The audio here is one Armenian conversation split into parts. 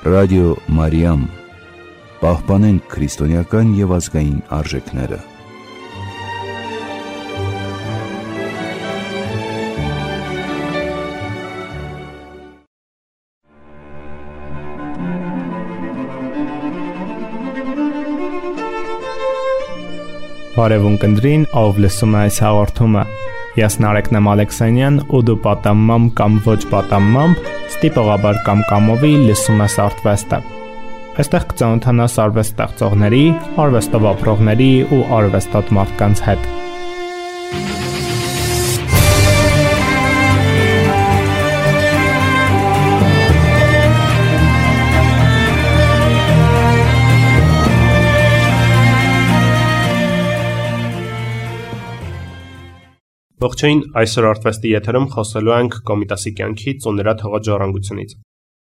Ռադիո Մարիամ, պահպանենք քրիստոնեական և ազգային արժեքները։ Բարևուն կնդրին, ով լսում է այս հաղորդումը։ Ես Նարեկնեմ Ալեքսանյան ու դու պատամմամբ կամ ոչ պատամմամբ ստիպողաբար կամ կամովի լսում ես Արթվեստը։ Այստեղ կծանոթանաս արվեստ ստեղծողների, արվեստով ապրողների ու արվեստոտ մարդկանց հետ։ Ողջույն, այսօր Արթվեստի եթերում խոսելու ենք Կոմիտասի կյանքից ու նրա թողած ժառանգությունից։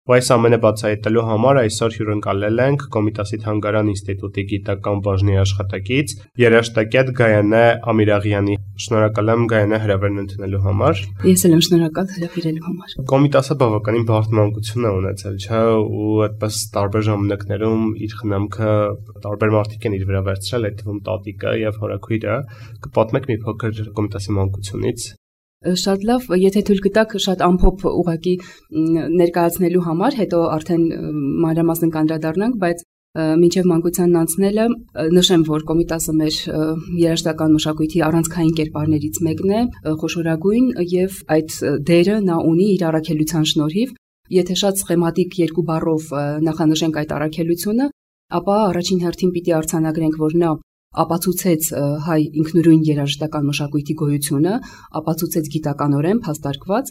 Ու այս ամենը բացահայտելու համար այսօր հյուրընկալել ենք Կոմիտասի Թանգարան ինստիտուտի գիտական բաժնի աշխատակից երաժշտակետ Գայանե Ամիրաղյանի։ Շնորհակալ եմ Գայանե հրավերն ընդունելու համար։ Ես էլ եմ շնորհակալ հրավիրելու համար։ Կոմիտասը բավականին բարդ մանկություն է ունեցել, չէ՞, ու այդպես տարբեր ժամանակներում իր խնամքը տարբեր մարդիկ են իր վրա վերցրել, այդ թվում տատիկը եւ հորաքույրը։ Կպատմեք մի փոքր Կոմիտասի մանկությունից։ Շատ լավ, եթե թույլ կտաք շատ ամփոփ ուղղակի ներկայացնելու համար, հետո արդեն մանրամասն կանդրադառնանք, բայց մինչև մանկությանն անցնելը նշեմ, որ Կոմիտասը մեր երաժշտական մշակույթի առանցքային կերպարներից մեկն է, խոշորագույն եւ այդ դերը նա ունի իր առաքելության շնորհիվ։ Եթե շատ սխեմատիկ երկու բառով նախանշենք այդ առաքելությունը, ապա առաջին հերթին պիտի արձանագրենք, որ նա ապացուցեց հայ ինքնուրույն երաժշտական մշակույթի գոյությունը, ապացուցեց գիտականորեն փաստարկված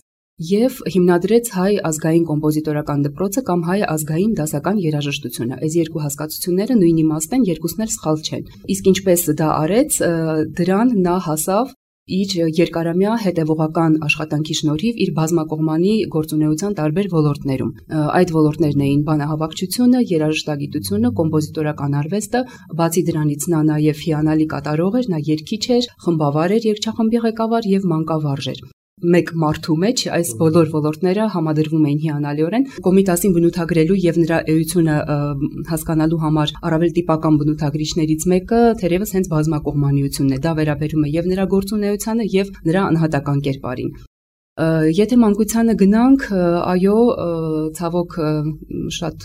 եւ հիմնադրեց հայ ազգային կոմպոզիտորական դպրոցը կամ հայ ազգային դասական երաժշտությունը։ Այս երկու հասկացությունները նույն իմաստ են, երկուսն էլ սխալ չեն։ Իսկ ինչպես դա արեց, դրան նա հասավ իր երկարամյա հետևողական աշխատանքի շնորհիվ իր բազմակողմանի գործունեության տարբեր ոլորտներում։ Այդ ոլորտներն էին բանահավաքչությունը, երաժշտագիտությունը, կոմպոզիտորական արվեստը, բացի դրանից նա նաև հիանալի կատարող էր, նա երգիչ էր, խմբավար էր, երգչախմբի ղեկավար եւ մանկավարժ էր։ Մեկ մարդու մեջ այս բոլոր ոլորտները համադրվում էին հիանալիորեն։ Կոմիտասին բնութագրելու եւ նրա էությունը հասկանալու համար առավել տիպական բնութագրիչներից մեկը թերևս հենց բազմակողմանիությունն է։ Դա վերաբերում է եւ նրա գործունեությանը եւ նրա անհատական կերպարին։ Եթե մանկությանը գնանք, այո, ցավոք շատ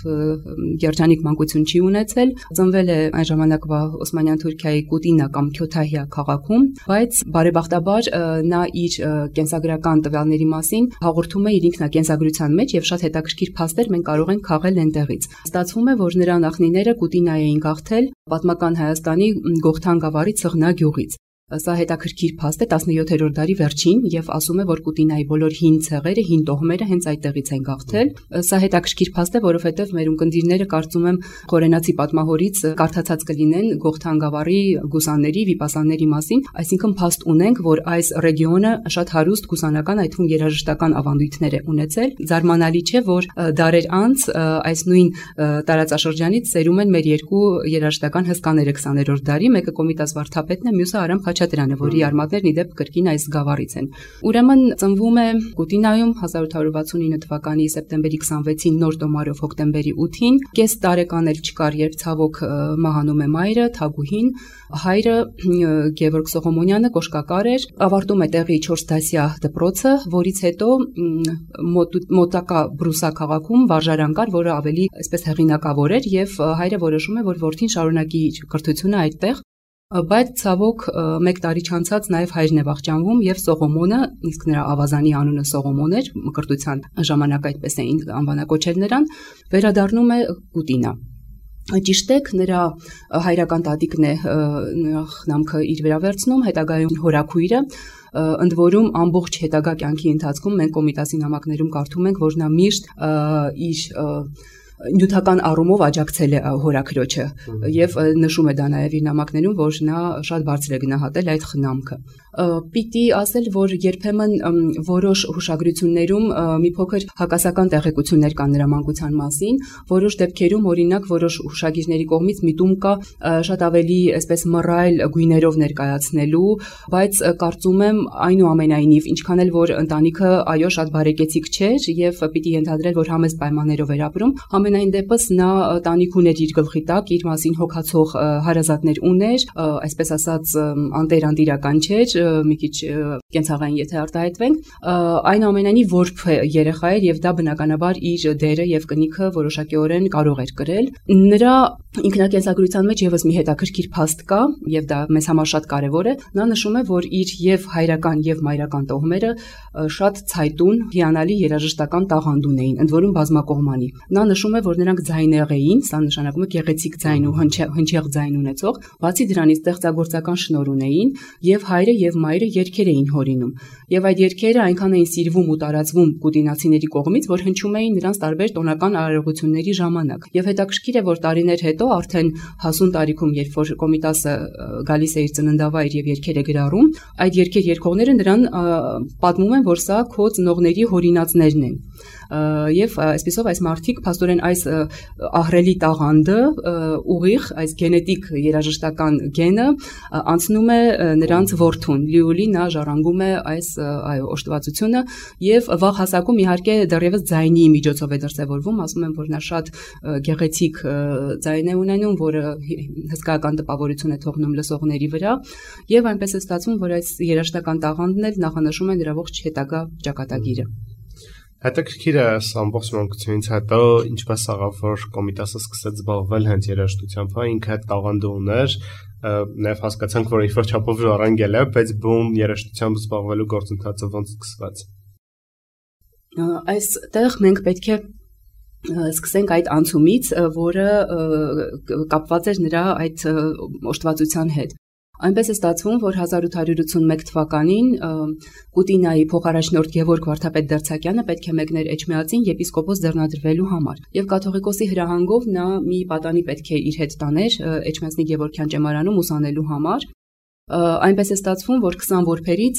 երջանիկ մանկություն չի ունեցել, ծնվել է այն ժամանակվա Օսմանյան Թուրքիայի Կուտինա կամ Քյոթահիա քաղաքում, բայց բարեբախտաբար նա իր կենսագրական տվյալների մասին հաղորդում է իր ինքնակենսագրության մեջ եւ շատ հետաքրքիր փաստեր մենք կարող ենք քաղել այնտեղից։ Ստացվում է, որ նրա նախնիները Կուտինա էին գաղթել պատմական Հայաստանի Գողթան գավառի Ցղնա գյուղից։ Սա հետաքրքիր փաստ է 17-րդ դարի վերջին եւ ասում է, որ Կուտինայի բոլոր հին ցեղերը, հին տոհմերը հենց այդտեղից են գաղթել։ Սա հետաքրքիր փաստ է, որովհետեւ մեր ունկնդիրները կարծում եմ խորենացի պատմահորից կարդացած կլինեն Գողթան գավառի գուսանների, վիպասանների մասին, այսինքն փաստ ունենք, որ այս ռեգիոնը շատ հարուստ գուսանական, այդ թվում երաժշտական ավանդույթներ է ունեցել։ Զարմանալի չէ, որ դարեր անց այս նույն տարածաշրջանից ծերում են մեր երկու երաժշտական հսկաները 20-րդ դարի, մեկը Կոմիտաս Վարդապետն է, մյուսը Արամ Խաչատրյանը, որի արմատներն իդեպ կրկին այս գավառից են։ Ուրեմն ծնվում է Կուտինայում 1869 թվականի սեպտեմբերի 26-ին նոր տոմարով հոկտեմբերի 8-ին, կես տարեկան էլ չկար, երբ ցավոք մահանում է մայրը, Թագուհին, հայրը Գևորգ Սողոմոնյանը կոշկակար էր, ավարտում է տեղի 4 դասյա դպրոցը, որից հետո մոտակա Բրուսա քաղաքում վարժարան կար, որը ավելի այսպես հեղինակավոր էր եւ հայրը որոշում է, որ որդին շարունակի կրթությունը այդտեղ։ Բայց ցավոք մեկ տարի չանցած նաև հայրն է վախճանվում եւ Սողոմոնը, իսկ նրա ավազանի անունը Սողոմոն էր, մկրտության ժամանակ այդպես էին անվանակոչել նրան, վերադառնում է Կուտինա։ Ճիշտ է, նրա հայրական տատիկն է խնամքը իր վրա վերցնում, հետագայում հորաքույրը, ընդ որում ամբողջ հետագա կյանքի ընթացքում մենք Կոմիտասի նամակներում կարդում ենք, որ նա միշտ իր նյութական առումով աջակցել է հորաքրոջը եւ նշում է դա նաեւ իր նամակներում, որ նա շատ բարձր է գնահատել այդ խնամքը։ Պիտի ասել, որ երբեմն որոշ հուշագրություններում մի փոքր հակասական տեղեկություններ կան նրա մանկության մասին, որոշ դեպքերում օրինակ որոշ հուշագիրների կողմից միտում կա շատ ավելի այսպես մռայլ գույներով ներկայացնելու, բայց կարծում եմ այնուամենայնիվ ինչքան էլ որ ընտանիքը այո շատ բարեկեցիկ չէր եւ պիտի ենթադրել, որ համեստ պայմաններով էր ապրում, Համենայն դեպս նա տանիք ուներ իր գլխի տակ, իր մասին հոգացող հարազատներ ուներ, այսպես ասած անտերանդիրական չէր, մի քիչ կենցաղային եթե արտահայտվենք, այնուամենայնիվ որբ երեխա էր եւ դա բնականաբար իր դերը եւ կնիքը որոշակիորեն կարող էր կրել։ Նրա ինքնակենսագրության մեջ եւս մի հետաքրքիր փաստ կա եւ դա մեզ համար շատ կարեւոր է։ Նա նշում է, որ իր եւ հայրական եւ մայրական տոհմերը շատ ցայտուն, հիանալի երաժշտական տաղանդ ունեին, ընդ որում բազմակողմանի։ Նա նշում է, որ նրանք ձայներ էին, սա նշանակում է գեղեցիկ ձայն ու հնչեղ ձայն ունեցող, բացի դրանից ստեղծագործական շնորհ ունեին եւ հայրը եւ մայրը երգեր էին հորինում։ Եվ այդ երգերը այնքան էին սիրվում ու տարածվում կուտինացիների կողմից, որ հնչում էին նրանց տարբեր տոնական արարողությունների ժամանակ։ Եվ հետաքրքիր է, որ տարիներ հետո արդեն հասուն տարիքում, երբ որ Կոմիտասը գալիս է իր ծննդավայր եւ երգեր է գրառում, այդ երգեր երգողները նրան պատմում են, որ սա քո ծնողների հորինածներն են։ Եվ այսպեսով այս մարդիկ փաստորեն այս ահռելի տաղանդը ուղիղ այս գենետիկ երաժշտական գենը անցնում է նրանց որդուն լիոլի նա ժառանգում է այս օժտվածությունը եւ վաղ հասակում իհարկե դեռևս ձայնի միջոցով է դրսևորվում ասում են որ նա շատ գեղեցիկ ձայն է ունենում որը հսկայական տպավորություն է թողնում լսողների վրա եւ այնպես է ստացվում որ այս երաժշտական տաղանդն էլ նախանշում է նրա ողջ հետագա ճակատագիրը Հետաքրքիր է ամբողջ մանկությունից հետո ինչպես աղավ որ Կոմիտասը սկսեց զբաղվել հենց երաժշտությամբ, ինքը այդ տաղանդը ուներ, նաև հասկացանք, որ ինչ-որ չափով ժառանգել է, բայց բում երաժշտությամբ զբաղվելու գործընթացը ոնց սկսվեց։ Այստեղ մենք պետք է սկսենք այդ անցումից, որը կապված էր նրա այդ օժտվածության հետ։ Այնպես է ստացվում, որ 1881 թվականին Կուտինայի փոխարաշնորհ Գևորգ Վարդապետ Դերցակյանը պետք է մեկներ Էջմիածին եպիսկոպոս ձեռնադրվելու համար։ Եվ կաթողիկոսի հրահանգով նա մի պատանի պետք է իր հետ տաներ Էջմիածնի Գևորգյան ճեմարանում ուսանելու համար։ Այնպես է ստացվում, որ 20 որբերից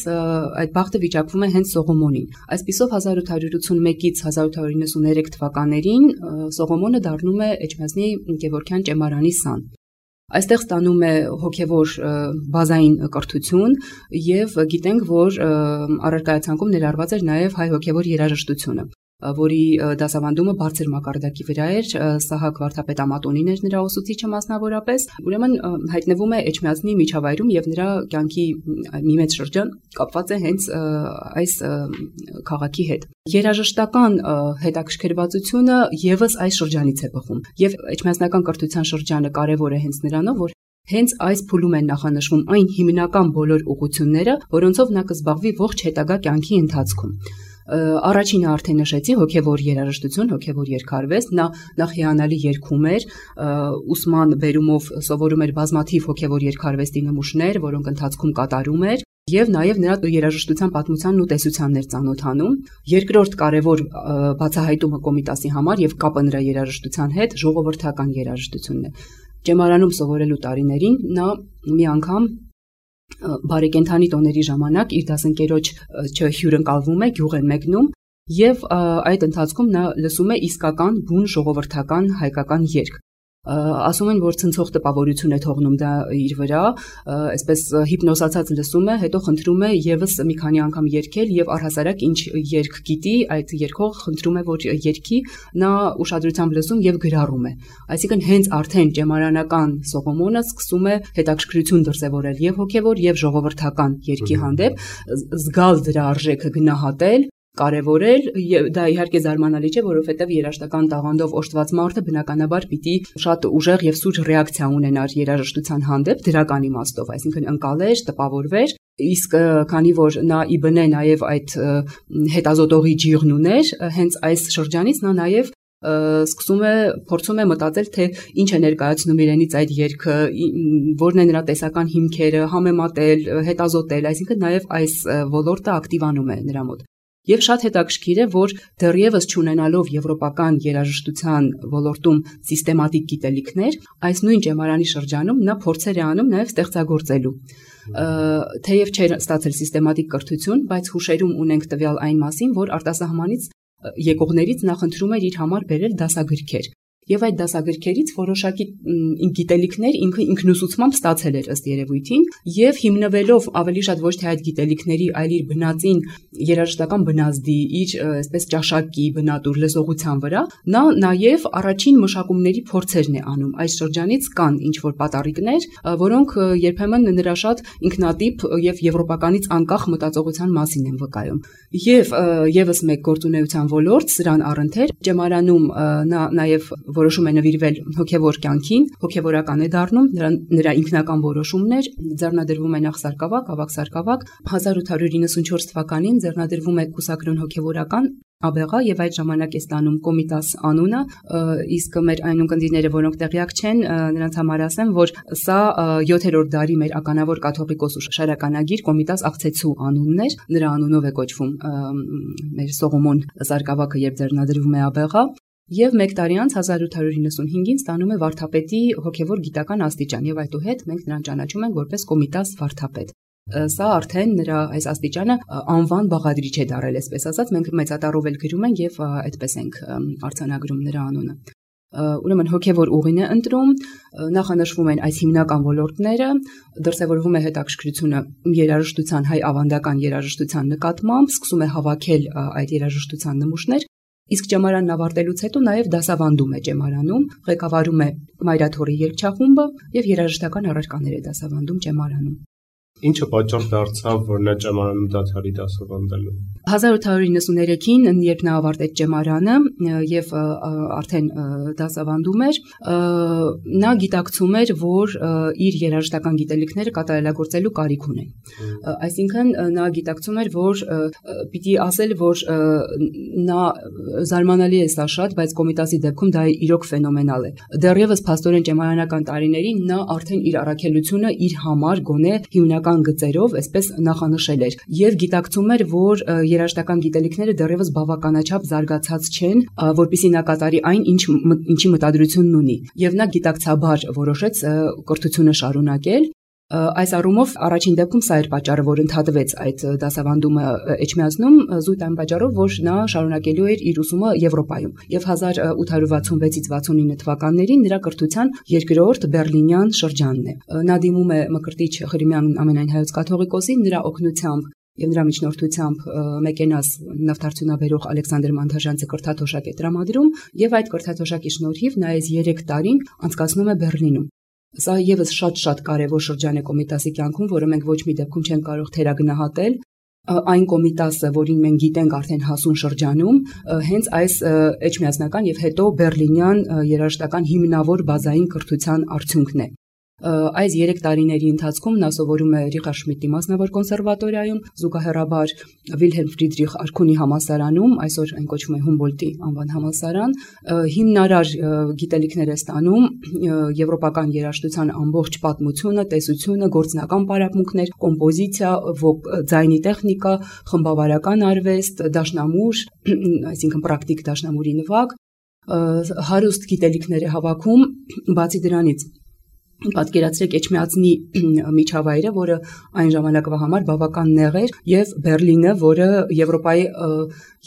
այդ բախտը վիճակվում է հենց Սողոմոնին։ Այսպիսով 1881-ից 1893 թվականներին Սողոմոնը դառնում է Էջմիածնի Գևորգյան ճեմարանի սան։ Այստեղ ստանում է հոգևոր բազային կրթություն եւ գիտենք, որ առարկայացանկում ներառված էր նաեւ հայ հոգևոր երաժշտությունը, որի դասավանդումը բարձր մակարդակի վրա էր, Սահակ Վարդապետ Ամատոնին էր նրա ուսուցիչը մասնավորապես, ուրեմն հայտնվում է Էջմիածնի միջավայրում եւ նրա կյանքի մի մեծ շրջան կապված է հենց այս քաղաքի հետ։ Երաժշտական հետաքրքրվածությունը եւս այս շրջանից է բխում եւ էջմիածնական կրթության շրջանը կարեւոր է հենց նրանով, որ հենց այս փուլում են նախանշվում այն հիմնական բոլոր ուղղությունները, որոնցով նա կզբաղվի ողջ հետագա կյանքի ընթացքում։ Առաջինը արդեն նշեցի հոգևոր երաժշտություն, հոգևոր երգարվեստ, նա նախ հիանալի երգում էր, ուսման բերումով սովորում էր բազմաթիվ հոգևոր երգարվեստի նմուշներ, որոնք ընթացքում կատարում էր, եւ նաեւ նրա երաժշտության պատմությանն ու տեսությանն էր ծանոթանում։ Երկրորդ կարևոր բացահայտումը Կոմիտասի համար եւ կապը նրա երաժշտության հետ ժողովրդական երաժշտությունն է։ Ճեմարանում սովորելու տարիներին նա մի անգամ բարեկենդանի տոների ժամանակ իր դասընկերոջ հյուրընկալվում է, գյուղ են մեկնում եւ այդ ընթացքում նա լսում է իսկական բուն ժողովրդական հայկական երգ։ Ասում են, որ ցնցող տպավորություն է թողնում դա իր վրա, այսպես հիպնոսացած լսում է, հետո խնդրում է եւս մի քանի անգամ երգել եւ առհասարակ ինչ երգ գիտի, այդ երգող խնդրում է, որ երգի, նա ուշադրությամբ լսում եւ գրառում է։ Այսինքն հենց արդեն ճեմարանական Սողոմոնը սկսում է հետաքրքրություն դրսևորել եւ հոգեվոր եւ ժողովրդական երգի հանդեպ, զգալ դրա արժեքը գնահատել կարևորել դա իհարկե զարմանալի չէ, որովհետև երաժշտական տաղանդով օժտված մարդը բնականաբար պիտի շատ ուժեղ եւ սուր ռեակցիա ունենար երաժշտության հանդեպ դրական իմաստով, այսինքն ընկալեր, տպավորվեր, իսկ քանի որ նա ի բնե նաեւ այդ հետազոտողի ջիղն ուներ, հենց այս շրջանից նա նաեւ սկսում է փորձում է մտածել թե ինչ է ներկայացնում իրենից այդ երգը, որն է նրա տեսական հիմքերը, համեմատել, հետազոտել, այսինքն նաեւ այս ոլորտը ակտիվանում է նրա մոտ։ Եվ շատ հետաքրքիր է, որ դեռևս չունենալով եվրոպական երաժշտության ոլորտում սիստեմատիկ գիտելիքներ, այս նույն ճեմարանի շրջանում նա փորձեր է անում նաև ստեղծագործելու։ Թեև չէր ստացել սիստեմատիկ կրթություն, բայց հուշերում ունենք տվյալ այն մասին, որ արտասահմանից եկողներից նա խնդրում էր իր համար բերել դասագրքեր։ եւ այդ դասագրքերից որոշակի գիտելիքներ ինքը ինքնուսուցմամբ ստացել էր ըստ երևույթին եւ հիմնվելով ավելի շատ ոչ թե այդ գիտելիքների, այլ իր բնածին երաժշտական բնազդի, իր այսպես ճաշակի բնատուր լսողության վրա, նա նաեւ առաջին մշակումների փորձերն է անում։ Այս շրջանից կան ինչ որ պատառիկներ, որոնք երբեմն նրա շատ ինքնատիպ եւ եվրոպականից անկախ մտածողության մասին են վկայում։ Եվ եւս մեկ գործունեության ոլորտ սրան առընթեր Ճեմարանում նա նաեւ որոշում է նվիրվել հոգևոր կյանքին, հոգևորական է դառնում, նրա ինքնական որոշումներ, ձեռնադրվում է նախ սարկավակ, ավագ սարկավակ, 1894 թվականին ձեռնադրվում է կուսակրոն հոգևորական աբեղա եւ այդ ժամանակ է ստանում Կոմիտաս անունը, իսկ մեր այն ունկնդիրները, որոնք տեղյակ չեն, նրանց համար ասեմ, որ սա 7-րդ դարի մեր ականավոր կաթողիկոս շարականագիր Կոմիտաս Աղցեցու անունն էր, նրա անունով է կոչվում մեր Սողոմոն սարկավակը, երբ ձեռնադրվում է աբեղա, եւ մեկ տարի անց 1895-ին ստանում է վարդապետի հոգևոր գիտական աստիճան եւ այդուհետ մենք նրան ճանաչում ենք որպես Կոմիտաս վարդապետ։ Սա արդեն նրա այս աստիճանը անվան բաղադրիչ է դարել, այսպես ասած, մենք մեծատառով էլ գրում ենք եւ այդպես ենք արձանագրում նրա անունը։ Ուրեմն հոգևոր ուղին է ընտրում, նախանշվում են այս հիմնական ոլորտները, դրսևորվում է հետաքրքրությունը երաժշտության, հայ ավանդական երաժշտության նկատմամբ, սկսում է հավաքել այդ երաժշտության նմուշներ, իսկ ճեմարանն ավարտելուց հետո նաև դասավանդում է ճեմարանում, ղեկավարում է Մայրաթորի երգչախումբը եւ երաժշտական առարկաներ է դասավանդում ճեմարանում։ Ինչը պատճառ դարձավ, որ նա ճեմարանում դադարի դասավանդելու։ 1893-ին, երբ նա ավարտեց ճեմարանը եւ արդեն դասավանդում էր, նա գիտակցում էր, որ իր երաժշտական գիտելիքները կատարելագործելու կարիք ունեն։ Այսինքն նա գիտակցում էր, որ պիտի ասել, որ նա զարմանալի է սա շատ, բայց Կոմիտասի դեպքում դա իրոք ֆենոմենալ է։ Դեռևս փաստորեն ճեմարանական տարիներին նա արդեն իր առաքելությունը իր համար գոնե հիմնական գծերով այսպես նախանշել էր եւ գիտակցում էր, որ երաժշտական գիտելիքները դեռևս բավականաչափ զարգացած չեն, որպեսզի նա կատարի այն, ինչի մտադրությունն ունի։ Եվ նա գիտակցաբար որոշեց կրթությունը շարունակել։ Այս առումով առաջին դեպքում սա էր պատճառը, որ ընդհատվեց այդ դասավանդումը Էջմիածնում, զույգ այն պատճառով, որ նա շարունակելու էր իր ուսումը Եվրոպայում։ Եվ 1866-ից 69 թվականներին նրա կրթության երկրորդ բերլինյան շրջանն է։ Նա դիմում է Մկրտիչ Ղրիմյան ամենայն հայոց կաթողիկոսին, նրա օգնությամբ եւ նրա միջնորդությամբ Մեկենաս նավթարդյունաբերող Ալեքսանդր Մանթաժանցը կրթաթոշակ է տրամադրում եւ այդ կրթաթոշակի շնորհիվ նա այս 3 տարին անցկացնում է Բեռլինում։ Սա եւս շատ կարևոր շրջան է Կոմիտասի կյանքում, որը մենք ոչ մի դեպքում չենք կարող թերագնահատել։ Այն Կոմիտասը, որին մենք գիտենք արդեն հասուն շրջանում, հենց այս էջմիածնական եւ հետո բերլինյան երաժշտական հիմնավոր բազային կրթության արդյունքն է։ Այս 3 տարիների ընթացքում նա սովորում է Ռիխարդ Շմիդտի մասնավոր կոնսերվատորիայում, զուգահեռաբար Վիլհելմ Ֆրիդրիխ Արքունի համալսարանում, այսօր այն կոչվում է Հումբոլտի անվան համալսարան, հիմնարար գիտելիքներ է ստանում եվրոպական երաժշտության ամբողջ պատմությունը, տեսությունը, գործնական պարապմունքներ, կոմպոզիցիա, ձայնի տեխնիկա, խմբավարական արվեստ, դաշնամուր, այսինքն պրակտիկ դաշնամուրի նվագ, հարուստ գիտելիքներ է հավաքում, բացի դրանից պատկերացրեք Էջմիածնի միջավայրը, որը այն ժամանակվա համար բավական նեղ էր, եւ Բերլինը, որը Եվրոպայի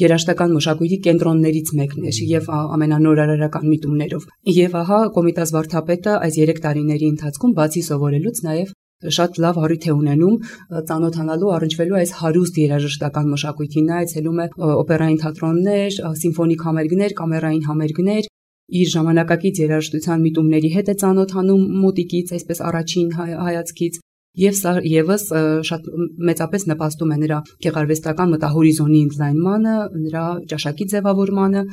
երաժշտական մշակույթի կենտրոններից մեկն էր եւ ամենանորարարական միտումներով։ Եվ ահա Կոմիտաս վարդապետը այս 3 տարիների ընթացքում բացի սովորելուց նաեւ շատ լավ առիթ է ունենում ծանոթանալու, առնչվելու այս հարուստ երաժշտական մշակույթին, նա այցելում է օպերային թատրոններ, սիմֆոնիկ համերգներ, կամերային համերգներ, իր ժամանակակից երաժշտության միտումների հետ է ծանոթանում մոտիկից, այսպես առաջին հայացքից, եւ սա եւս շատ մեծապես նպաստում է նրա գեղարվեստական մտահորիզոնի ընդլայնմանը, նրա ճաշակի ձևավորմանը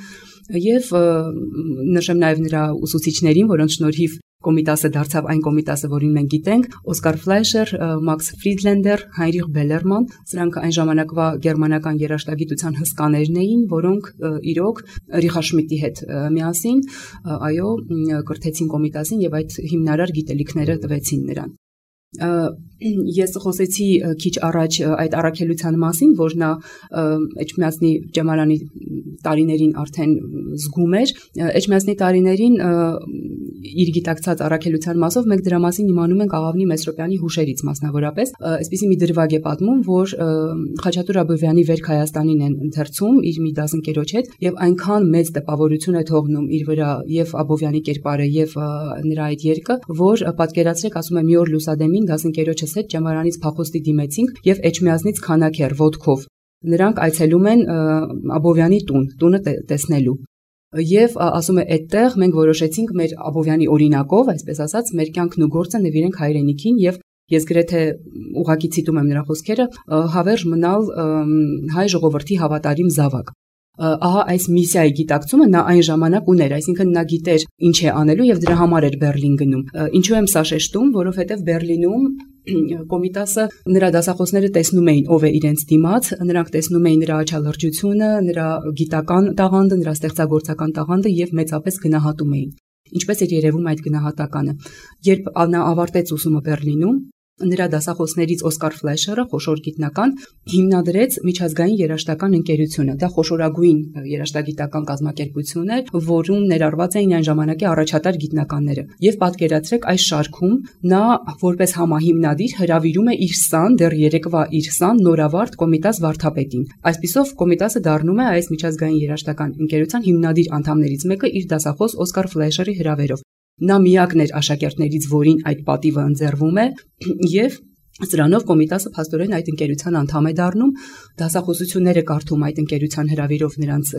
եւ նշեմ նաեւ նրա ուսուցիչներին, որոնց շնորհիվ Կոմիտասը դարձավ այն Կոմիտասը, որին մենք գիտենք, Օսկար Ֆլայշեր, Մաքս Ֆրիդլենդեր, Հայնրիխ Բելերման, սրանք այն ժամանակվա գերմանական երաժշտագիտության հսկաներն էին, որոնք իրոք Ռիխարդ Շմիդտի հետ միասին, կրթեցին Կոմիտասին եւ այդ հիմնարար գիտելիքները տվեցին նրան։ Ես խոսեցի քիչ առաջ այդ առաքելության մասին, որ նա Էջմիածնի Ջամալյանի տարիներին արդեն զգում էր։ Էջմիածնի տարիներին իր գիտակցած առաքելության մասով մենք դրա մասին իմանում ենք Աղավնի Մեսրոպյանի հուշերից մասնավորապես։ Այսպիսի մի դրվագ է պատմում, որ Խաչատուր Աբովյանի Վերք Հայաստանին են ընթերցում իր մի դասընկերոջ հետ եւ այնքան մեծ տպավորություն է թողնում իր վրա եւ Աբովյանի կերպարը եւ նրա այդ երգը, որ պատկերացրեք, ասում եմ, մի օր լուսադեմին դասընկերոջս հետ Ջամալյանից փախոստի դիմեցինք եւ Էջմիածնից քանաքեր ոդկով նրանք այցելում են Աբովյանի տունը տեսնելու։ Եվ ասում է այդտեղ մենք որոշեցինք մեր Աբովյանի օրինակով, այսպես ասած, մեր կյանքն ու գործը նվիրենք հայրենիքին եւ ես գրեթե ուղղակի ցիտում եմ նրա խոսքերը, հավերժ մնալ հայ ժողովրդի հավատարիմ զավակ։ Ահա այս միսիայի գիտակցումը նա այն ժամանակ ուներ, այսինքն նա գիտեր ինչ է անելու եւ դրա համար էր Բերլին գնում։ Ինչու եմ սա շեշտում, որովհետեւ Բերլինում Կոմիտասը նրա դասախոսները տեսնում էին ով է իրենց դիմաց, նրանք տեսնում էին նրա աչալրջությունը, նրա գիտական տաղանդը, նրա ստեղծագործական տաղանդը եւ մեծապես գնահատում էին։ Ինչպես էր երևում այդ գնահատականը։ Երբ նա ավարտեց ուսումը Բերլինում, նրա դասախոսներից Օսկար Ֆլեշերը, խոշոր գիտնական, հիմնադրեց միջազգային երաժշտական ընկերությունը։ Դա խոշորագույն երաժշտագիտական կազմակերպություն էր, որում ներառված էին այն ժամանակի առաջատար գիտնականները։ Եվ պատկերացրեք, այս շարքում նա որպես համահիմնադիր հրավիրում է իր սան, դեռ երեկվա իր սան նորավարտ Կոմիտաս վարդապետին։ Այսպիսով Կոմիտասը դառնում է այս միջազգային երաժշտական ընկերության հիմնադիր անդամներից մեկը իր դասախոս Օսկար Ֆլեշերի հրավերով։ Նա միակն էր աշակերտներից, որին այդ պատիվը ընձեռվում է, եւ սրանով Կոմիտասը փաստորեն այդ ընկերության անդամ է դառնում, դասախոսությունները կարդում այդ ընկերության հրավիրով նրանց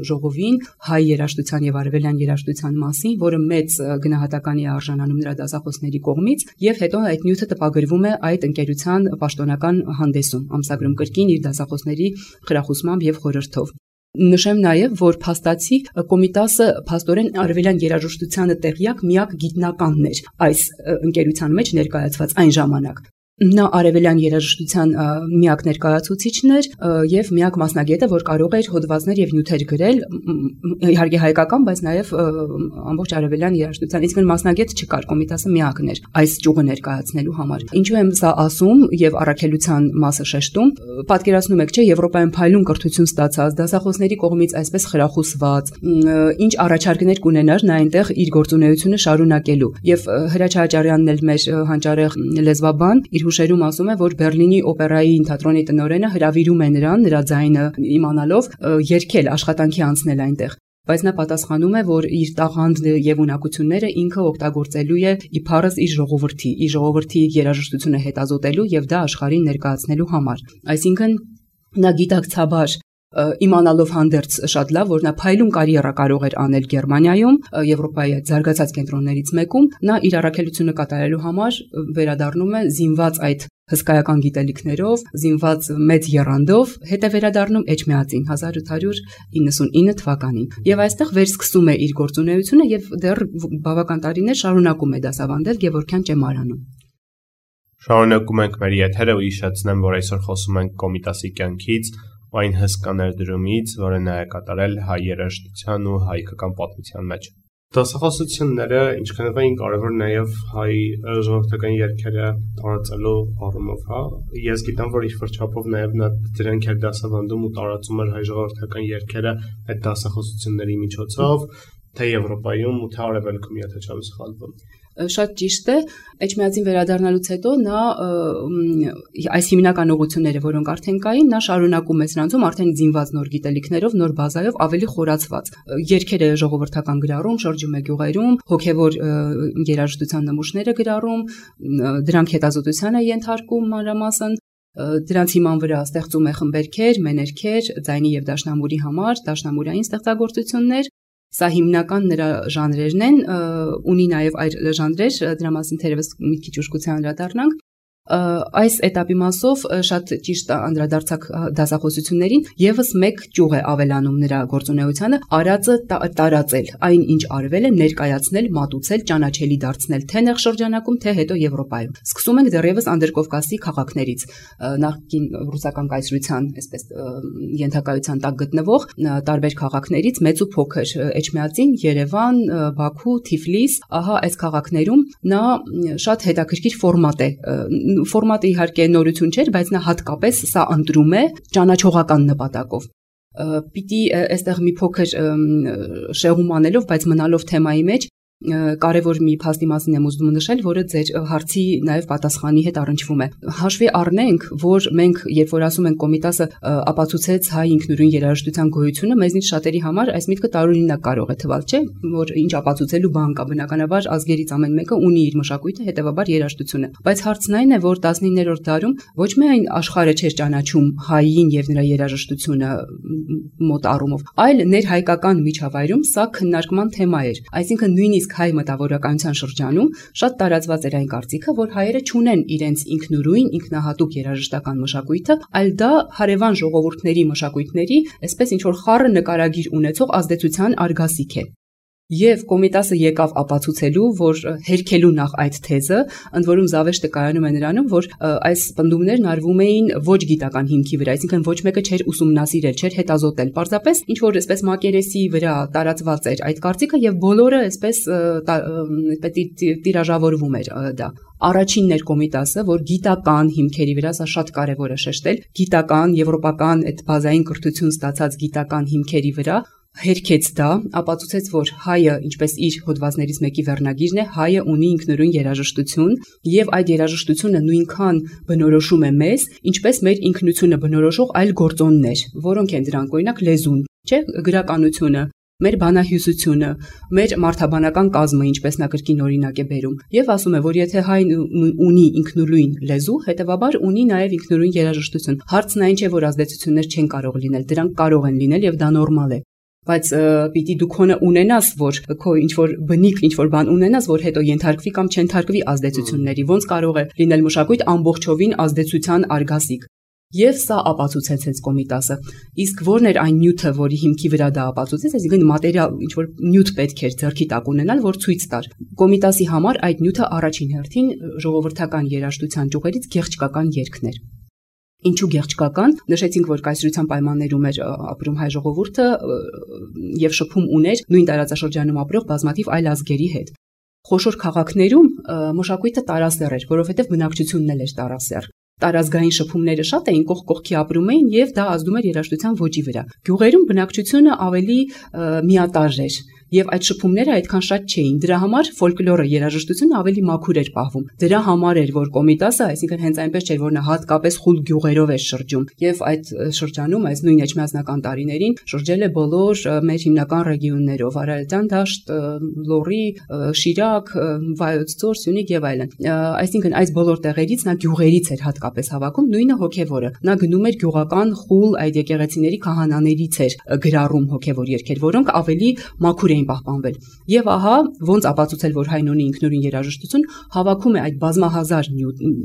ժողովին հայ երաժշտության եւ արևելյան երաժշտության մասին, որը մեծ գնահատականի է արժանանում նրա դասախոսների կողմից, եւ հետո այդ նյութը տպագրվում է այդ ընկերության պաշտոնական հանդեսում, ամսագրում կրկին իր դասախոսների խրախուսմամբ եւ խորհրդով։ Նշեմ նաև, որ փաստացի Կոմիտասը փաստորեն արևելյան երաժշտությանը տեղյակ միակ գիտնականն էր այս ընկերության մեջ ներկայացված այն ժամանակ։ Նա արևելյան երաժշտության միակ ներկայացուցիչն էր եւ միակ մասնագետը, որ կարող էր հոդվածներ եւ նյութեր գրել, իհարկե հայկական, բայց նաեւ ամբողջ արևելյան երաժշտության, իսկ մասնագետ չկար, Կոմիտասը միակն էր այս ճյուղը ներկայացնելու համար։ Ինչու եմ սա ասում եւ առաքելության մասը շեշտում, պատկերացնում եք, չէ, Եվրոպայում փայլուն կրթություն ստացած, դասախոսների կողմից այսպես խրախուսված, ինչ առաջարկներ կունենար նա այնտեղ իր գործունեությունը շարունակելու։ Եվ Հրաչ Հաճարյանն էլ մեր հանճարեղ լեզվաբան իր հուշերում ասում է, որ Բերլինի օպերայի թատրոնի տնօրենը հրավիրում է նրան, նրա ձայնը իմանալով, երգել, աշխատանքի անցնել այնտեղ։ Բայց նա պատասխանում է, որ իր տաղանդը եւ ունակությունները ինքը օգտագործելու է իբարս իր ժողովրդի երաժշտությունը հետազոտելու եւ դա աշխարհին ներկայացնելու համար։ Այսինքն նա գիտակցաբար իմանալով հանդերձ շատ լավ, որ նա փայլուն կարիերա կարող էր անել Գերմանիայում, Եվրոպայի զարգացած կենտրոններից մեկում, նա իր առաքելությունը կատարելու համար վերադառնում է զինված այդ հսկայական գիտելիքներով, զինված մեծ եռանդով, հետ է վերադառնում Էջմիածին 1899 թվականին։ Եվ այստեղ վերսկսում է իր գործունեությունը եւ դեռ բավական տարիներ շարունակում է դասավանդել Գևորգյան ճեմարանում։ Շարունակում ենք մեր եթերը ու հիշեցնեմ, որ այսօր խոսում ենք Կոմիտասի կյանքից, այն հսկա ներդրումից, որը նա է կատարել հայ երաժշտության ու հայկական պատմության մեջ։ Դասախոսությունները ինչքանով էին կարևոր նաև հայ ժողովրդական երգերը տարածելու առումով, հա։ Ես գիտեմ, որ ինչ-որ չափով նաև նա դրանք էր դասավանդում ու տարածում էր հայ ժողովրդական երգերը այդ դասախոսությունների միջոցով, թե Եվրոպայում ու թե Արևելքում, եթե չեմ սխալվում։ Շատ ճիշտ է, Էջմիածին վերադառնալուց հետո նա այս հիմնական ուղղությունները, որոնք արդեն կային, նա շարունակում է սրանցում արդեն զինված նոր գիտելիքներով, նոր բազայով ավելի խորացված։ Երգերը ժողովրդական գրառում, շրջում է գյուղերում, հոգևոր երաժշտության նմուշները գրառում, դրանք հետազոտության է ենթարկում մանրամասն, դրանց հիման վրա ստեղծում է խմբերքեր, մեներքեր, ձայնի եւ դաշնամուրի համար, դաշնամուրային ստեղծագործություններ։ Սա հիմնական նրա ժանրերն են, ունի նաև այլ ժանրեր, դրա մասին թերևս մի քիչ ուշքության անդրադառնանք, Այս этаպի մասով շատ ճիշտ անդրադարձակ դասախոսություններին եւս մեկ ճյուղ է ավելանում նրա գործունեությանը արածը տարածել, այն ինչ արվել է ներկայացնել, մատուցել, ճանաչելի դարձնել թե նեղ շրջանակում, թե հետո Եվրոպայում։ Սկսում ենք դեռևս Անդրկովկասի քաղաքներից, նախկին ռուսական կայսրության, այսպես ենթակայության տակ գտնվող տարբեր քաղաքներից, մեծ ու փոքր, Էջմիածին, Երևան, Բաքու, Թիֆլիս, ահա այս քաղաքներում նա շատ հետաքրքիր ֆորմատը իհարկե նորություն չէր, բայց նա հատկապես սա ընտրում է ճանաչողական նպատակով։ Պիտի այստեղ մի փոքր շեղում անելով, բայց մնալով թեմայի մեջ, կարևոր մի փաստի մասին եմ ուզում նշել, որը ձեր հարցի նաև պատասխանի հետ առնչվում է։ Հաշվի առնենք, որ մենք, երբ որ ասում ենք Կոմիտասը ապացուցեց հայ ինքնուրույն երաժշտության գոյությունը, մեզնից շատերի համար այս միտքը տարօրինակ կարող է թվալ, չէ՞, որ ինչ ապացուցելու բան կա, բնականաբար ազգերից ամեն մեկը ունի իր մշակույթը, հետևաբար երաժշտությունը։ Բայց հարցն այն է, որ 19-րդ դարում ոչ միայն աշխարհը չէր ճանաչում հային եւ նրա երաժշտությունը մոտ առումով, այլ ներհայկական միջավայրում սա քննարկման թեմա էր, այսինքն նույնիսկ հայ մտավորականության շրջանում շատ տարածված էր այն կարծիքը, որ հայերը չունեն իրենց ինքնուրույն, ինքնահատուկ երաժշտական մշակույթը, այլ դա հարևան ժողովուրդների մշակույթների, այսպես ինչ որ խառը նկարագիր ունեցող ազդեցության արգասիկ է։ Եվ Կոմիտասը եկավ ապացուցելու, որ հերքելու նախ այդ թեզը, ընդ որում զավեշտը կայանում է նրանում, որ այս պնդումներն արվում էին ոչ գիտական հիմքի վրա, այսինքն ոչ մեկը չէր ուսումնասիրել, չէր հետազոտել, պարզապես ինչ որ այսպես մակերեսի վրա տարածված էր այդ կարծիքը եւ բոլորը այսպես տիրաժավորվում էր դա։ Առաջինն էր Կոմիտասը, որ գիտական հիմքերի վրա, սա շատ կարևոր է շեշտել, գիտական, եվրոպական այդ բազային կրթություն ստացած գիտական հիմքերի վրա հերքեց դա, ապացուցեց, որ հայը, ինչպես իր հոդվածներից մեկի վերնագիրն է, հայը ունի ինքնուրույն երաժշտություն եւ այդ երաժշտությունը նույնքան բնորոշում է մեզ, ինչպես մեր ինքնությունը բնորոշող այլ գործոններ, որոնք են դրանք, օրինակ լեզուն, չէ՞, գրականությունը, մեր բանահյուսությունը, մեր մարդաբանական կազմը, ինչպես նա կրկին օրինակ է բերում, եւ ասում է, որ եթե հայն ունի ինքնուրույն լեզու, հետեւաբար ունի նաեւ ինքնուրույն երաժշտություն։ Հարցն այն չէ, որ ազդեցություններ չեն կարող լինել, դրանք կարող են լինել եւ դա նորմալ է։ Բայց պիտի դու քոնը ունենաս, որ քո ինչ որ բնիկ ինչ որ բան ունենաս, որ հետո ենթարկվի կամ չենթարկվի ազդեցությունների, ոնց կարող է լինել մշակույթ ամբողջովին ազդեցության արգասիկ։ Եվ սա ապացուցեց հենց Կոմիտասը։ Իսկ ո՞րն էր այն նյութը, որի հիմքի վրա դա ապացուցեց, այսինքն մատերիալ ինչ որ նյութ պետք էր ձեռքի տակ ունենալ, որ ցույց տար։ Կոմիտասի համար այդ նյութը առաջին հերթին ժողովրդական երաժշտության ճյուղերից գեղչկական երգն էր։ Ինչու գեղչկական, նշեցինք, որ կայսրության պայմաններում էր ապրում հայ ժողովուրդը եւ շփում ուներ նույն տարածաշրջանում ապրող բազմաթիվ այլ ազգերի հետ։ Խոշոր քաղաքներում մշակույթը տարասեռ էր, որովհետեւ բնակչությունն էլ էր տարասեռ։ Տարազգային շփումները շատ էին, կողք կողքի ապրում էին եւ դա ազդում էր երաժշտության ոճի վրա։ Գյուղերում բնակչությունը ավելի միատարր էր եւ այդ շփումները այդքան շատ չէին։ Դրա համար ֆոլկլորը երաժշտությունը ավելի մաքուր էր պահվում։ Դրա համար էր, որ Կոմիտասը, այսինքն հենց այնպես չէր, որ նա հատկապես խուլ գյուղերով էր շրջում եւ այդ շրջանում, այս նույն էջմիածնական տարիներին շրջել է բոլոր մեր հիմնական ռեգիոններով՝ Արարատյան դաշտ, Լոռի, Շիրակ, Վայոց ձոր, Սյունիք եւ այլն։ Այսինքն այս բոլոր տեղերից նա գյուղերից էր հատկապես հավաքում, նույնը հոգեվորը։ Նա գնում էր գյուղական խուլ այդ եկեղեցիների քահանաներից էր գրառում հոգեվոր երգեր, որոնք ավելի մաքուր էին պահպանվել։ Եվ ահա ոնց ապացուցել, որ հայն ունի ինքնուրույն երաժշտություն, հավաքում է այդ բազմահազար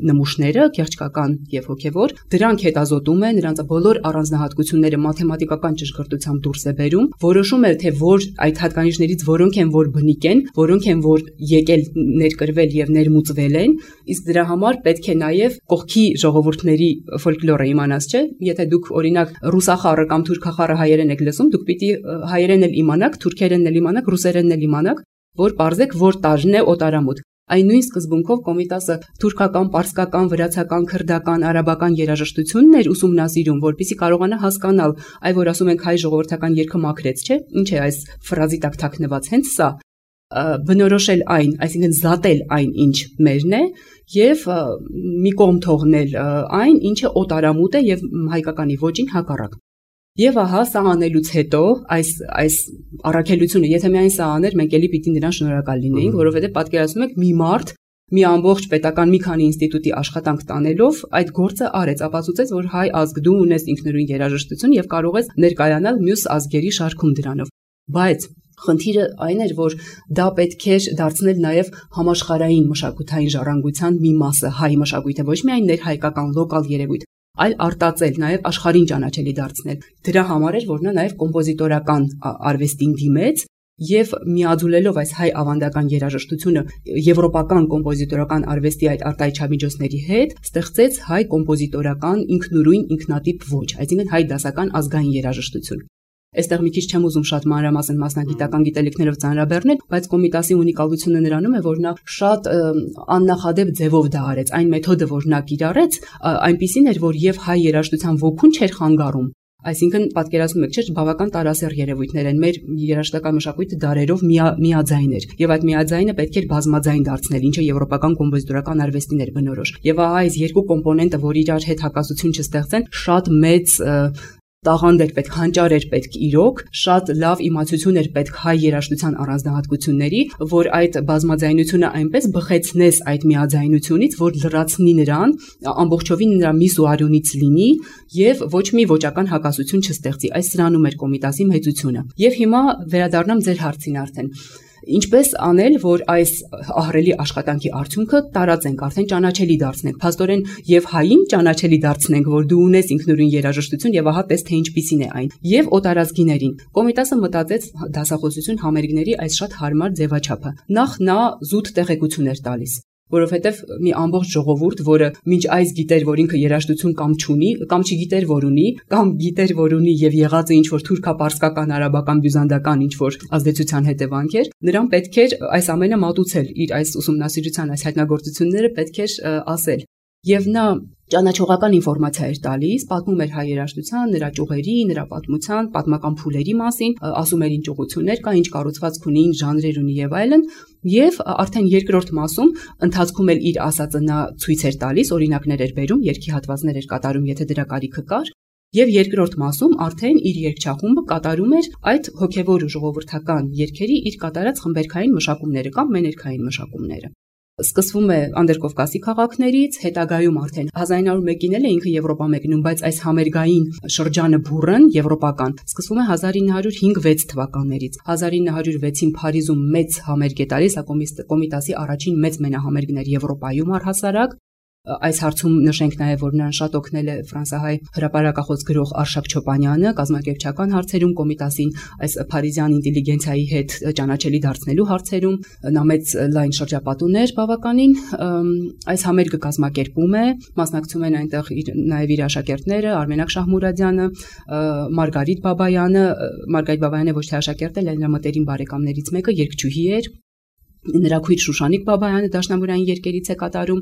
նմուշները, գեղչկական եւ հոգեվոր, դրանք հետազոտում է, նրանց բոլոր առանձնահատկությունները մաթեմատիկական ճշգրտությամբ դուրս է բերում, որոշում է, թե որ այդ հատկանիշներից որոնք են, որ բնիկ են, որոնք են, որ եկել ներկրվել եւ ներմուծվել են, իսկ դրա համար պետք է նաեւ կողքի ժողովուրդների ֆոլկլորը իմանաս, չէ՞։ Եթե դուք օրինակ ռուսախառը կամ թուրքախառը հայերեն եք լսում, դուք պիտի հայերեն էլ իմանաք, թուրքերեն էլ իմանաք, ռուսերենն էլ իմանաք, որ պարզեք որ տարրն է օտարամուտ։ Այն նույն սկզբունքով Կոմիտասը թուրքական, պարսկական, վրացական, քրդական, արաբական երաժշտությունն էր ուսումնասիրում, որպեսզի կարողանա հասկանալ, այ որ ասում ենք հայ ժողովրդական երգը մաքրեց, չէ՞։ Ինչ է այս ֆրազի տակ թաքնված, հենց սա բնորոշել այն, այսինքն զատել այն, ինչ մերն է, եւ մի կողմ թողնել այն, ինչը օտարամուտ է եւ հայկականի ոճին հակառակ։ Եվ ահա սա անելուց հետո այս առաքելությունը, եթե միայն սա աներ, մենք էլի պիտի նրան շնորհակալ լինեինք, որովհետեւ պատկերացնում եք մի մարդ մի ամբողջ պետական մի քանի ինստիտուտի աշխատանք տանելով այդ գործը արեց, ապացուցեց, որ հայ ազգ դու ունես ինքնուրույն երաժշտություն եւ կարող ես ներկայանալ մյուս ազգերի շարքում դրանով։ Բայց Խնդիրը այն էր, որ դա պետք էր դարձնել նաև համաշխարհային մշակութային ժառանգության մի մասը, հայ մշակույթը, ոչ միայն ներհայկական լոկալ երևույթ, այլ արտածել, նաև աշխարհին ճանաչելի դարձնել։ Դրա համար էր, որ նա նաև կոմպոզիտորական արվեստին դիմեց եւ միաձուլելով այս հայ ավանդական երաժշտությունը եվրոպական կոմպոզիտորական արվեստի այդ արտահայտչամիջոցների հետ, ստեղծեց հայ կոմպոզիտորական ինքնուրույն ինքնատիպ ոճ, այսինքն հայ դասական ազգային երաժշտություն։ Այստեղ մի քիչ չեմ ուզում շատ մանրամասն մասնագիտական գիտելիքներով ծանրաբեռնել, բայց Կոմիտասի ունիկալությունը նրանում է, որ նա շատ աննախադեպ ձևով դա արեց։ Այն մեթոդը, որ նա կիրառեց, այնպիսին էր, որ եւ հայ երաժշտության ոգուն չէր խանգարում, այսինքն պատկերացնում եք, չէ՞, բավական տարասեռ երևույթներ են, մեր երաժշտական մշակույթը դարերով միաձայն էր, եւ այդ միաձայնը պետք էր բազմաձայն դարձնել, ինչը եվրոպական կոմպոզիտորական արվեստին էր բնորոշ։ Եվ այս երկու կոմպոնենտը, որ իրար հետ հակասություն չստեղծեն, շատ մեծ տաղանդ էր պետք, հանճար էր պետք իրոք, շատ լավ իմացություն էր պետք հայ երաժշտության առանձնահատկությունների, որ այդ բազմաձայնությունը այնպես բխեցնես այդ միաձայնությունից, որ լրացնի նրան, ամբողջովին նրա միս ու արյունից լինի եւ ոչ մի ոճական հակասություն չստեղծի։ Այս սրանում էր Կոմիտասի մեծությունը։ Եվ հիմա վերադառնամ ձեր հարցին արդեն։ Ինչպես անել, որ այս ահռելի աշխատանքի արդյունքը տարածենք, արդեն ճանաչելի դարձնենք, փաստորեն եւ հային ճանաչելի դարձնենք, որ դու ունես ինքնուրույն երաժշտություն եւ ահա տես թե ինչպիսին է այն, եւ օտարազգիներին։ Կոմիտասը մտածեց դասախոսություն համերգների այս շատ հարմար ձևաչափը։ Նախ նա զուտ տեղեկություն էր տալիս, որովհետև մի ամբողջ ժողովուրդ, որը մինչ այս գիտեր, որ ինքը երաժշտություն կամ չունի, կամ չգիտեր, որ ունի, կամ գիտեր, որ ունի եւ եղած է ինչ-որ թուրքապարսկական, արաբական, բյուզանդական ինչ-որ ազդեցության հետևանք էր, նրան պետք էր այս ամենը մատուցել, իր այս ուսումնասիրության, այս հայտնագործությունները պետք էր ասել։ Եվ նա ճանաչողական ինֆորմացիա էր տալիս, պատմում էր հայ երաժշտության, նրա ճյուղերի, նրա պատմության, պատմական փուլերի մասին, ասում էր ինչ ուղղություններ կա, ինչ կառուցվածք ունի, ինչ ժանրեր ունի եւ այլն, եւ արդեն երկրորդ մասում ընթացքում էլ իր ասածը նա ցույց էր տալիս, օրինակներ էր բերում, երգի հատվածներ էր կատարում, եթե դրա կարիքը կար, եւ երկրորդ մասում արդեն իր երգչախումբը կատարում էր այդ հոգեվոր ու ժողովրդական երգերի իր կատարած խմբերքային մշակումները կամ մեներքային մշակումները։ Սկսվում է Անդերկովկասի քաղաքներից, հետագայում արդեն 1901-ին էլ է ինքը Եվրոպա մեկնում, բայց այս համերգային շրջանը բուրըն եվրոպական սկսվում է 1905-6 թվականներից։ 1906-ին Փարիզում մեծ համերգ է տալիս, Կոմիտասի առաջին մեծ մենահամերգներ Եվրոպայում առհասարակ։ Այս հարցում նշենք նաև, որ նրան շատ օգնել է ֆրանսահայ հրապարակախոս գրող Արշակ Չոպանյանը, կազմակերպչական հարցերում Կոմիտասին այս փարիզյան ինտելիգենցիայի հետ ճանաչելի դարձնելու հարցերում նա մեծ լայն շրջապատ ուներ բավականին։ Այս համերգը կազմակերպում է, մասնակցում են այնտեղ նաև իր աշակերտները Արմենակ Շահմուրադյանը, Մարգարիտ Բաբայանը ոչ թե աշակերտ էր, այլ նրա մտերիմ բարեկամներից մեկը, երգչուհի էր։ Նրա քույր Շուշանիկ Բաբայանը դաշնամուրային երգերից է կատարում,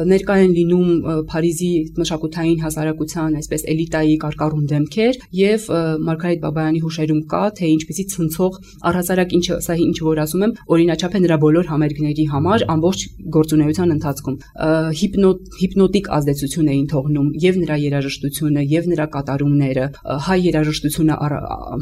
ներկա են լինում Փարիզի մշակութային հասարակության այսպես էլիտայի կարկառուն դեմքեր եւ Մարգարիտ Բաբայանի հուշերում կա թե ինչպեսի ցնցող առհասարակ ինչ որ ասում եմ օրինաչափ է նրա բոլոր համերգների համար ամբողջ գործունեության ընթացքում հիպնոտիկ ազդեցություն էին թողնում եւ նրա երաժշտությունը եւ նրա կատարումները, հայ երաժշտությունը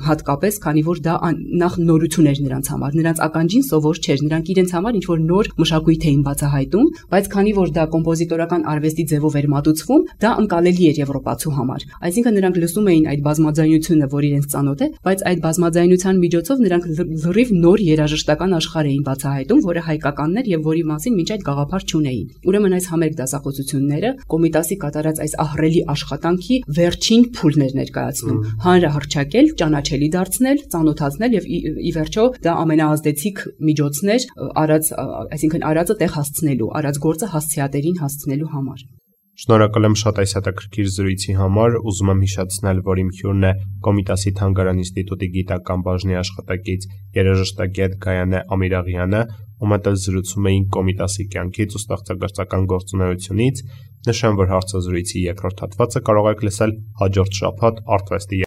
հատկապես, քանի որ դա նախ նորություն էր նրանց համար, նրանց ականջին սովոր չէր, նրանք իրենց համար ինչ որ նոր մշակույթ էին բացահայտում, բայց քանի որ դա կոմպոզիտորական արվեստի ձևով էր մատուցվում, դա ընկալելի էր եվրոպացու համար։ Այսինքն նրանք լսում էին այդ բազմաձայնությունը, որ իրենց ծանոթ է, բայց այդ բազմաձայնության միջոցով նրանք լրիվ նոր երաժշտական աշխարհ էին բացահայտում, որը հայկականն էր եւ որի մասին մինչ այդ գաղափար չունեին։ Ուրեմն այս համերգ դասախոսությունները Կոմիտասի կատարած այս ահռելի աշխատանքի վերջին փուլն էր ներկայացնում, հանրահռչակել, ճանաչելի դարձնել, ծանոթացնել եւ ի վերջո դա ամենաազդեցիկ միջոցն էր այսինքն արածը տեղ հասցնելու, արած գործը հասցեատերին հասցնելու համար։ Շնորհակալ եմ շատ այս հետաքրքիր զրույցի համար, ուզում եմ հիշեցնել, որ իմ հյուրն է Կոմիտասի Թանգարան ինստիտուտի գիտական բաժնի աշխատակից երաժշտագետ Գայանե Ամիրաղյանը, ում հետ զրուցում էինք Կոմիտասի կյանքից ու ստեղծագործական գործունեությունից։ Նշեմ, որ հարցազրույցի երկրորդ հատվածը կարող եք լսել հաջորդ շաբաթ Artvest-ի